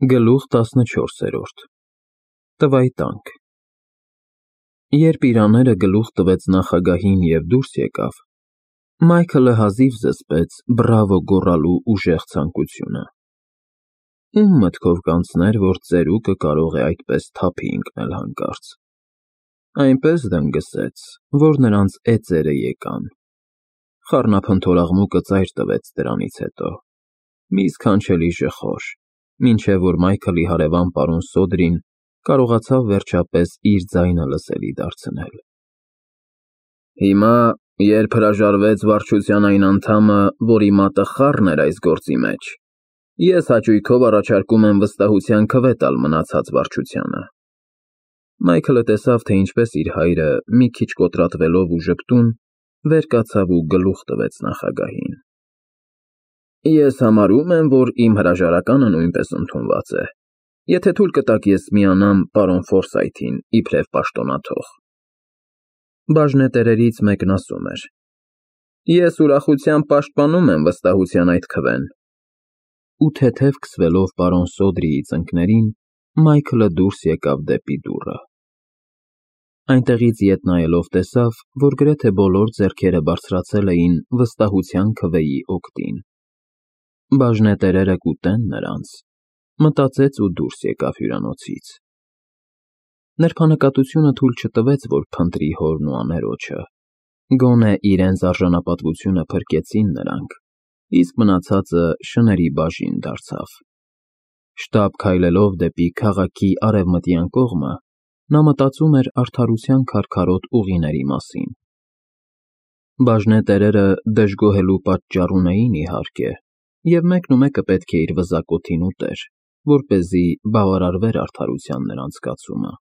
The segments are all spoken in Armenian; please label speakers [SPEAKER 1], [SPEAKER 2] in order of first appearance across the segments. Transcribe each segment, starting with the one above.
[SPEAKER 1] Գլուխ 14 Տվայտանք Երբ Իրաները գլուխ տվեց նախագահին և դուրս եկավ, Մայքլը հազիվ զսպեց բրավո գոռալու ուժեղ ցանկությունը։ Ում մտքով կանցներ, որ ծերուկը կարող է այդպես թափի ընկնել հանկարծ։ Այնպես դնգսեց, որ նրանց էծերը եկան։ Խառնափնթորաղմուկը ծայր տվեց դրանից հետո, մի սքանչելի ժխոր, մինչև որ Մայքլի հարևան պարոն Սոդրին կարողացավ վերջապես իր ձայնը լսելի դարձնել։ Հիմա, երբ հրաժարվեց վարչության այն անդամը, որի մատը խառն էր այս գործի մեջ, ես հաճույքով առաջարկում եմ վստահության քվե տալ մնացած վարչությանը։ Մայքլը տեսավ, թե ինչպես իր հայրը, մի քիչ կոտրատվելով ու ժպտուն, վեր կացավ ու գլուխ տվեց նախագահին։ Ես համարում եմ, որ իմ հրաժարականը նույնպես ընդունված է, եթե թույլ կտաք ես միանամ պարոն Ֆորսայթին իբրև պաշտոնաթող։ Բաժնետերերից մեկն ասում էր. Ես ուրախությամբ պաշտպանում եմ վստահության այդ քվեն։ Ու թեթև քսվելով պարոն Սոդրիի ծնկներին, Մայքլը դուրս եկավ դեպի դուռը։ Այնտեղից ետ նայելով տեսավ, որ գրեթե բոլոր ձեռքերը բարձրացել էին վստահության քվեի օգտին։ Բաժնետերերը կուտեն նրանց, մտածեց ու դուրս եկավ հյուրանոցից։ Նրբանկատությունը թույլ չտվեց, որ փնտրի հորն ու աներոջը, գոնե իրենց արժանապատվությունը փրկեցին նրանք, իսկ մնացածը շների բաժին դարձավ։ Շտապ քայլելով դեպի քաղաքի արևմտյան կողմը, նա մտածում էր արդարության քարքարոտ ուղիների մասին։ Բաժնետերերը դժգոհելու պատճառ ունեին, իհարկե, և մեկնումեկը պետք է իր վզակոթին ուտեր, որպեսզի բավարարվեր արդարության նրանց կացումը։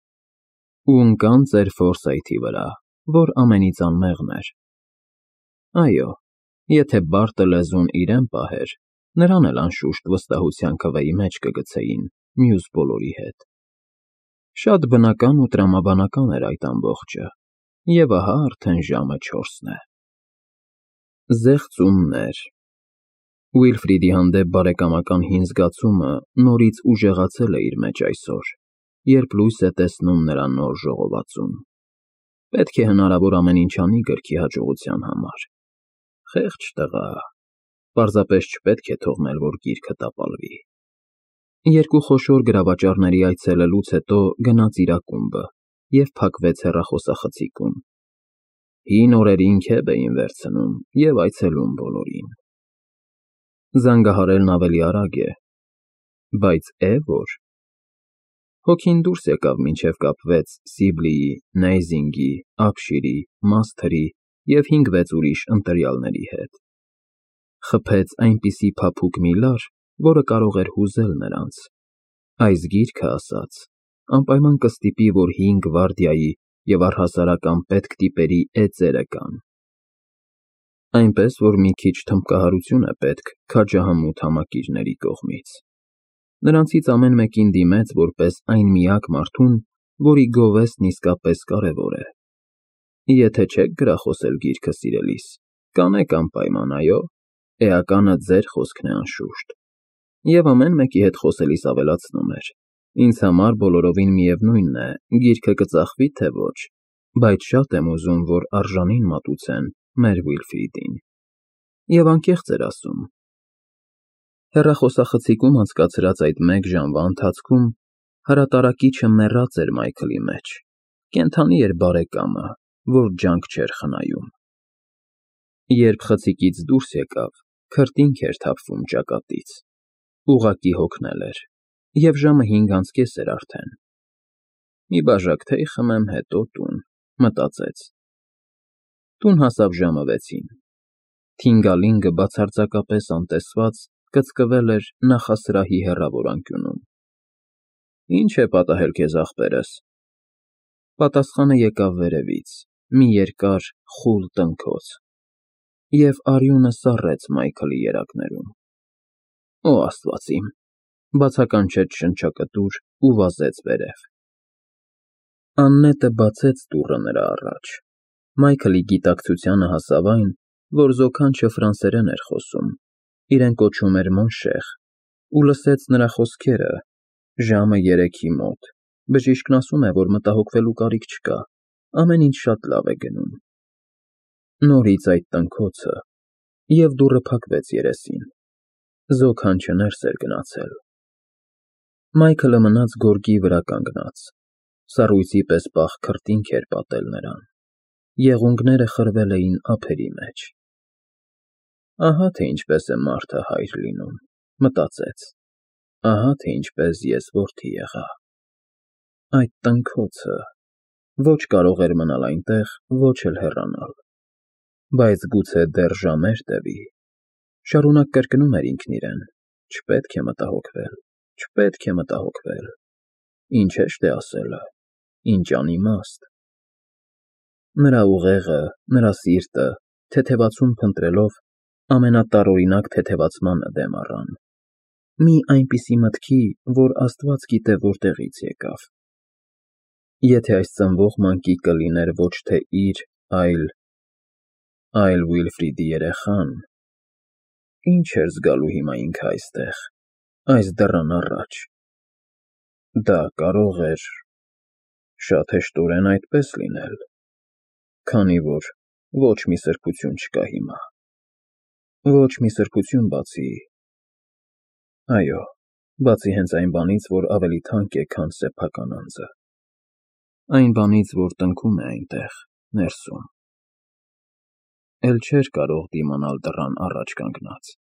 [SPEAKER 1] Ու ընկան ծեր Ֆորսայթի վրա, որ ամենից անմեղն էր։ Այո, եթե բարդը լեզուն իրեն պահեր, նրան էլ անշուշտ վստահության քվեի մեջ կգցեին մյուս բոլորի հետ։ Շատ բնական ու տրամաբանական էր այդ ամբողջը, և ահա արդեն ժամը 4-ն է։ Զեղծումներ։ Ուիլֆրիդի հանդեպ բարեկամական հին զգացումը նորից ուժեղացել է իր մեջ այսօր, երբ լույս է տեսնում նրա նոր ժողովածուն։ Պետք է հնարավոր ամեն ինչ անի գրքի հաջողության համար։ Խեղճ տղա, պարզապես չպետք է թողնել, որ գիրքը տապալվի։ Երկու խոշոր գրավաճառների այցելելուց հետո գնաց իր ակումբը և փակվեց հեռախոսախցիկում։ Հին օրերին քեֆ էին վերցնում և այցելում բոլորին։ Զանգահարելն ավելի արագ է, բայց որ։ Հոգին դուրս եկավ, մինչև կապվեց Սիբլիի, Նեյզինգի, Ափշիրի, Մասթրի և 5-6 ուրիշ ընտրյալների հետ։ Խփեց այնպիսի փափուկ մի լար, որը կարող էր հուզել նրանց։ Այս գիրքը, ասաց, անպայման կստիպի, որ 5 գվարդիայի և առհասարակ անպետք տիպերի էծերը կան։ Այնպես, որ մի քիչ թմբկահարություն է պետք քաջահամուտ համակիրների կողմից։ Նրանցից ամեն մեկին դիմեց որպես այն միակ մարդուն, որի գովեստն իսկապես կարևոր է։ Եթե չեք գրախոսել գիրքը սիրելիս, կանեք անպայման, այո, էականը ձեր խոսքն է անշուշտ։ Եվ ամեն մեկի հետ խոսելիս ավելացնում էր. ինձ համար բոլորովին միևնույնն է, գիրքը կծախվի, թե ոչ, բայց շատ եմ ուզում, որ արժանին մատուցեն մեր Ուիլֆրիդին։ Եվ անկեղծ էր ասում։ Հեռախոսախցիկում անցկացրած այդ 1 ժամվա ընթացքում հրատարակիչը մեռած էր Մայքլի մեջ, կենդանի էր բարեկամը, որ ջանք չէր խնայում։ Երբ խցիկից դուրս եկավ, քրտինք էր թափվում ճակատից, ուղղակի հոգնել էր, և ժամը 5:30 էր արդեն։ Մի բաժակ թեյ խմեմ, հետո տուն, մտածեց։ Տուն հասավ ժամը 6-ին։ Թինգալինգը բացարձակապես անտեսված կծկվել էր նախասրահի հեռավոր անկյունում։ Ինչ է պատահել քեզ, ախպերս։ Պատասխանը եկավ վերևից, մի երկար, խուլ տնքոց, և արյունը սառեց Մայքլի երակներում։ Օ, Աստված իմ, բացականչեց շնչակտուր ու վազեց վերև։ Աննետը բացեց դուռը նրա առաջ։ Մայքլի գիտակցությանը հասավ այն, որ զոքանչը ֆրանսերեն էր խոսում, իրեն կոչում էր Մոնշեղ, ու լսեց նրա խոսքերը, Ժամը 3-ի մոտ։ Բժիշկն ասում է, որ մտահոգվելու կարիք չկա, ամեն ինչ շատ լավ է գնում։ Նորից այդ տնքոցը, և դուռը փակվեց երեսին։ Զոքանչը ներս էր գնացել։ Մայքլը մնաց գորգի վրա կանգնած։ Սառույցի պես պաղ քրտինք էր պատել նրան։ Եղունգները խրվել էին ափերի մեջ։ Ահա թե ինչպես է մարդը հայր լինում, մտածեց։ Ահա թե ինչպես ես որդի եղա։ Այդ տնքոցը ոչ կարող էր մնալ այնտեղ, ոչ էլ հեռանալ։ Բայց գուցե դեռ ժամեր տևի։ Շարունակ կրկնում էր ինքն իրեն. չպետք է մտահոգվել, չպետք է մտահոգվել։ Ինչ հեշտ է ասելը, ինչ անիմաստ։ Նրա ուղեղը, նրա սիրտը, թեթևացում փնտրելով, ամենատարօրինակ թեթևացմանը դեմ առան։ Մի այնպիսի մտքի, որ Աստված գիտե որտեղից եկավ։ Եթե այս ծնվող մանկիկը լիներ ոչ թե իր, այլ Վիլֆրիդի երեխան, ինչ էր զգալու հիմա ինքը այստեղ, այս դռան առաջ։ Դա կարող էր շատ հեշտորեն այդպես լինել, քանի որ ոչ մի սրբություն չկա հիմա։ Ոչ մի սրբություն բացի հենց այն բանից, որ ավելի թանկ է, քան սեփական անձը։ Այն բանից, որ տնքում է այնտեղ, ներսում։ Էլ չէր կարող դիմանալ դռան առաջ կանգնած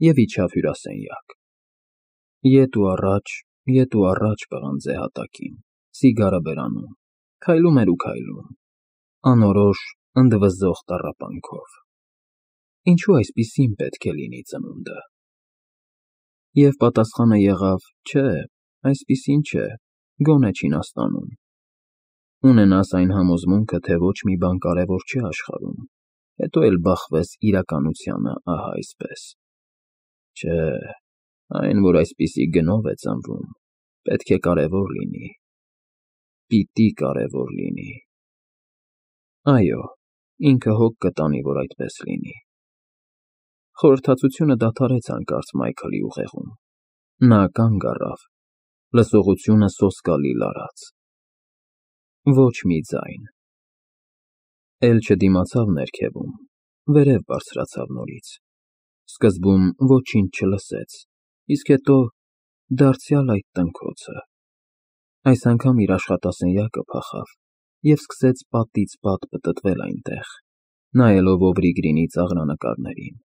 [SPEAKER 1] և իջավ հյուրասենյակ։ Ետ ու առաջ պղնձե հատակին, սիգարը բերանում, քայլում էր ու քայլում, անորոշ, ընդվզող տառապանքով։ Ինչու այսպիսին պետք է լինի ծնունդը։ Եվ պատասխանը եղավ. չէ, այսպիսին չէ, գոնե Չինաստանում։ Ունենաս այն համոզմունքը, թե ոչ մի բան կարևոր չէ աշխարհում, հետո էլ բախվես իրականությանը ահա այսպես։ Չէ, այն, որ այսպիսի գնով է ծնվում, պետք է կարևոր լինի։ Պիտի կարևոր լինի։ Այո, ինքը հոգ կտանի, որ այդպես լինի։ Խորհրդածությունը դադարեց հանկարծ Մայքլի ուղեղում։ Նա կանգ առավ, լսողությունը սոսկալի լարած։ Ոչ մի ձայն։ Էլ չդիմացավ ներքևում, վերև բարձրացավ նորից։ Սկզբում ոչինչ չլսեց, իսկ հետո դարձյալ այդ տնքոցը։ Այս անգամ իր աշխատասենյակը փախավ և սկսեց պատից պատ պտտվել այնտեղ, նայելով Օվրի ծաղրանկարներին։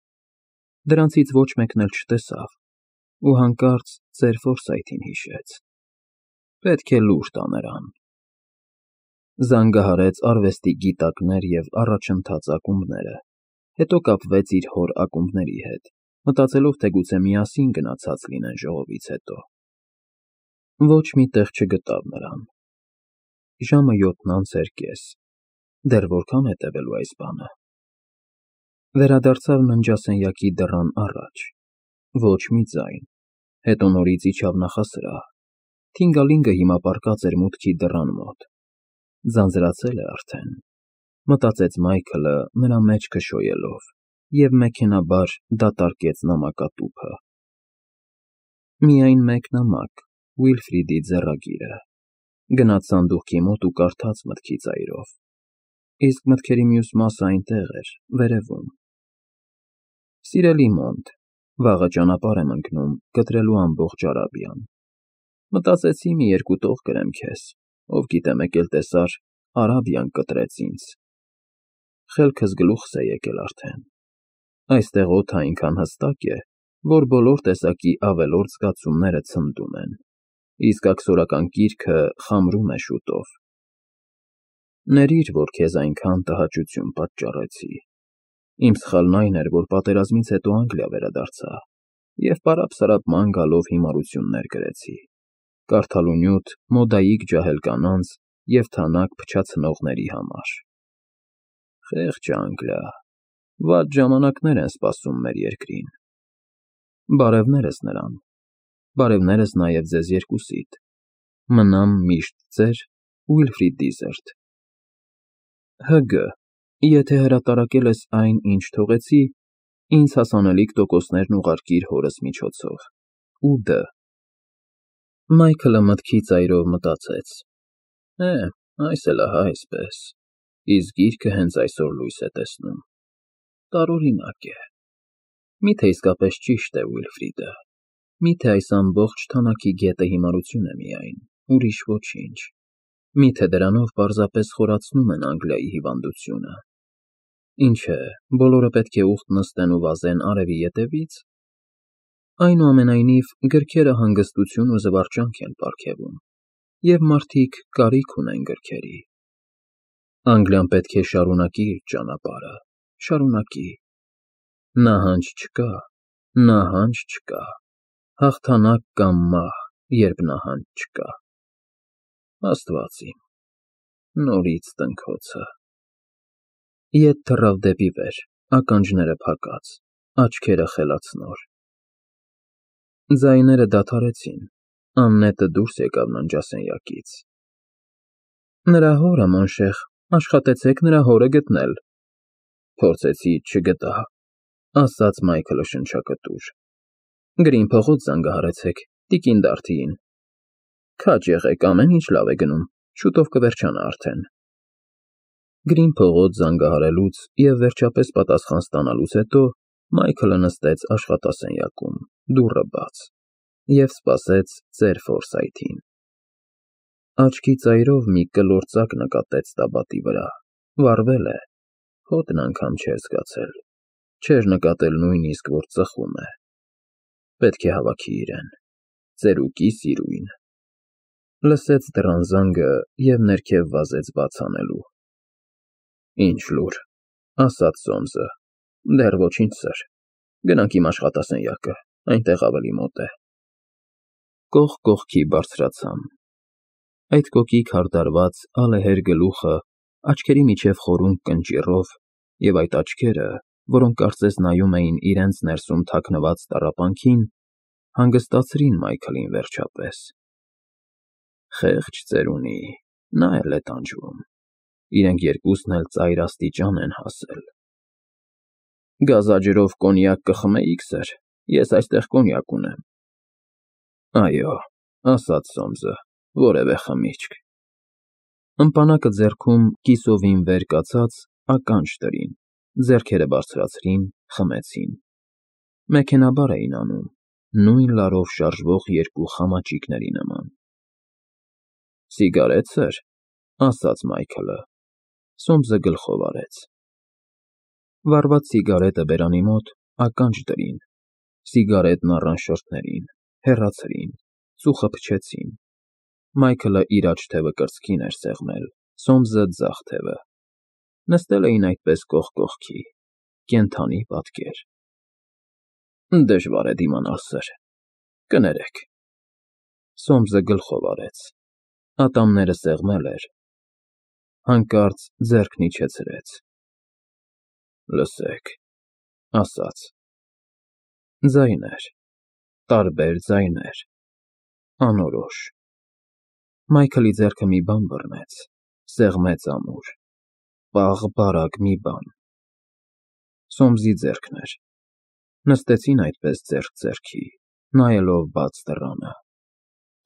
[SPEAKER 1] Դրանցից ոչ մեկն էլ չտեսավ, ու հանկարծ ծեր Ֆորսայթին հիշեց։ Պետք է լուր տա նրան։ Զանգահարեց արվեստի գիտակներ և առաջընթաց ակումբները, հետո կապվեց իր հոր ակումբների հետ, մտածելով, թե գուցե միասին գնացած լինեն ժողովից հետո։ Ոչ մի տեղ չգտավ նրան։ Ժամը 7:30, դեռ որքան է տևելու այս բանը։ Վերադարձավ ննջասենյակի դռան առաջ։ Ոչ մի ձայն։ Հետո նորից իջավ նախասրահ։ Թինգալինգը հիմա պառկած էր մուտքի դռան մոտ։ Ձանձրացել է արդեն, մտածեց Մայքլը նրա մեջքը շոյելով, և մեքենայաբար դատարկեց նամակատուփը։ Միայն մեկ նամակ, Վիլֆրիդի ձեռագիրը։ Գնաց սանդուղքի մոտ ու կարդաց մտքի ծայրով։ Իսկ մտքերի մյուս մասը այնտեղ էր, վերևում։ Սիրելի Մոնտ, վաղը ճանապարհ եմ ընկնում կտրելու ամբողջ Արաբիան։ Մտածեցի մի երկու տող գրեմ քեզ, ով գիտե մեկ էլ տեսար, Արաբիան կտրեց ինձ։ Խելքս գլուխս է եկել արդեն։ Այստեղ օդը այնքան հստակ է, որ բոլոր տեսակի ավելորդ զգացումները ցնդում են, իսկ աքսորական կիրքը խամրում է շուտով։ Ներիր, որ քեզ այնքան տհաճություն պատճառեցի։ Իմ սխալն այն էր, որ պատերազմից հետո Անգլիա վերադարձա և պարապ-սարապ ման գալով հիմարություններ գրեցի, կարդալու նյութ մոդայիկ ջահել կանանց և թանաք փչացնողների համար։ Խեղճ Անգլիա, վատ ժամանակներ են սպասում մեր երկրին։ Բարևներս նրան, բարևներս նաև ձեզ երկուսիդ։ Մնամ միշտ ձեր Ուիլֆրիդ Դիզերտ։ Հ.Գ. Եթե հրատարակել ես այն, ինչ թողեցի, ինձ հասանելիք տոկոսներն ուղարկիր հորս միջոցով։ Ու Դ. Մայքլը մտքի ծայրով մտածեց. այս էլ ահա այսպես, իսկ գիրքը հենց այսօր լույս է տեսնում, տարօրինակ է, միթե իսկապես ճիշտ է Ուիլֆրիդը, միթե այս ամբողջ թանաքի գետը հիմարություն է միայն, ուրիշ ոչինչ, միթե դրանով պարզապես խորացնում են Անգլիայի հիվանդությունը, ինչ է, բոլորը պետք է ուխտ նստեն ու վազեն արևի ետևից, այնուամենայնիվ գրքերը հանգստություն ու զվարճանք են պարգևում, և մարդիկ կարիք ունեն գրքերի։ Անգլիան պետք է շարունակի իր ճանապարհը, շարունակի։ Նահանջ չկա, հաղթանակ կամ մահ, երբ նահանջ չկա։ Աստված իմ, նորից տնքոցը։ Ետ թռավ դեպի վեր, ականջները փակած, աչքերը խելացնոր։ Ձայները դադարեցին, աննետը դուրս եկավ ննջասենյակից։ Նրա հորը, մանշեղ, աշխատեցեք նրա հորը գտնել։ Փորձեցի, չգտա, ասաց Մայքլը շնչակտուր։ Գրին փողոց զանգահարեցեք, տիկին Դարթիին։ Քաջ եղեք, ամեն ինչ լավ է գնում, շուտով կվերջանա արդեն։ Գրին փողոց զանգահարելուց և վերջապես պատասխան ստանալուց հետո Մայքլը նստեց աշխատասենյակում, դուռը բաց, և սպասեց ծեր Ֆորսայթին։ Աչքի ծայրով մի կլոր ծակ նկատեց տաբատի վրա, վառվել է, հոտն անգամ չէր զգացել, չէր նկատել նույնիսկ, որ ծխում է։ Պետք է հավաքի իրեն, ծերուկի սիրույն։ Լսեց դռան զանգը և ներքև վազեց բաց անելու։ Ինչ լուր, ասաց Սոմսը, դեռ ոչինչ, սըր, գնանք իմ աշխատասենյակը, այնտեղ ավելի մոտ է։ Կողք կողքի բարձրացան։ Այդ կոկիկ հարդարված ալեհեր գլուխը, աչքերի միջև խորունկ կնճիռով, և այդ աչքերը, որոնք կարծես նայում էին իրենց ներսում թաքնված տառապանքին, հանգստացրին Մայքլին վերջապես։ Խեղճ ծերունի, նա էլ է տանջվում, իրենք երկուսն էլ ծայր աստիճան են հասել։ Գազաջրով կոնյակ կխմեիք, սըր, ես այստեղ կոնյակ ունեմ։ Այո, ասաց Սոմսը, որևէ խմիչք։ Ըմպանակը ձեռքում կիսովին վեր կացած ականջ դրին, ձեռքերը բարձրացրին, խմեցին։ Մեքենաբար էին անում, նույն լարով շարժվող երկու խամաճիկների նման։ Սիգարետ, սըր, ասաց Մայքլը։ Սոմսը գլխով արեց։ Վառված սիգարետը բերանի մոտ ականջ դրին, սիգարետն առան շրթներին, հեռացրին, ծուխը փչեցին։ Մայքլը իր աջ թևը կրծքին էր սեղմել, Սոմսը ձախ թևը։ Նստել էին այդպես կողք կողքի, կենդանի պատկեր։ Դժվար է դիմանալ, սըր, կներեք։ Սոմսը գլխով արեց, ատամները սեղմել էր, հանկարծ ձեռքն իջեցրեց։ Լսեք, ասաց։ Ձայներ, տարբեր ձայներ, անորոշ։ Մայքլի ձեռքը մի բան բռնեց, սեղմեց ամուր, պաղ-բարակ մի բան։ Սոմսի ձեռքն էր։ Նստեցին այդպես ձեռք ձեռքի, նայելով բաց դռանը,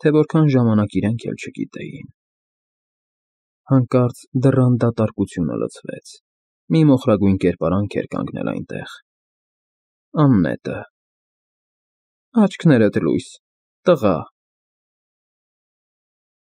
[SPEAKER 1] թե որքան ժամանակ իրենք էլ չգիտեին։ Հանկարծ դռան դատարկությունը լցվեց, մի մոխրագույն կերպարանք էր կանգնել այնտեղ։ Աննետը։ Աչքներդ լույս, տղա,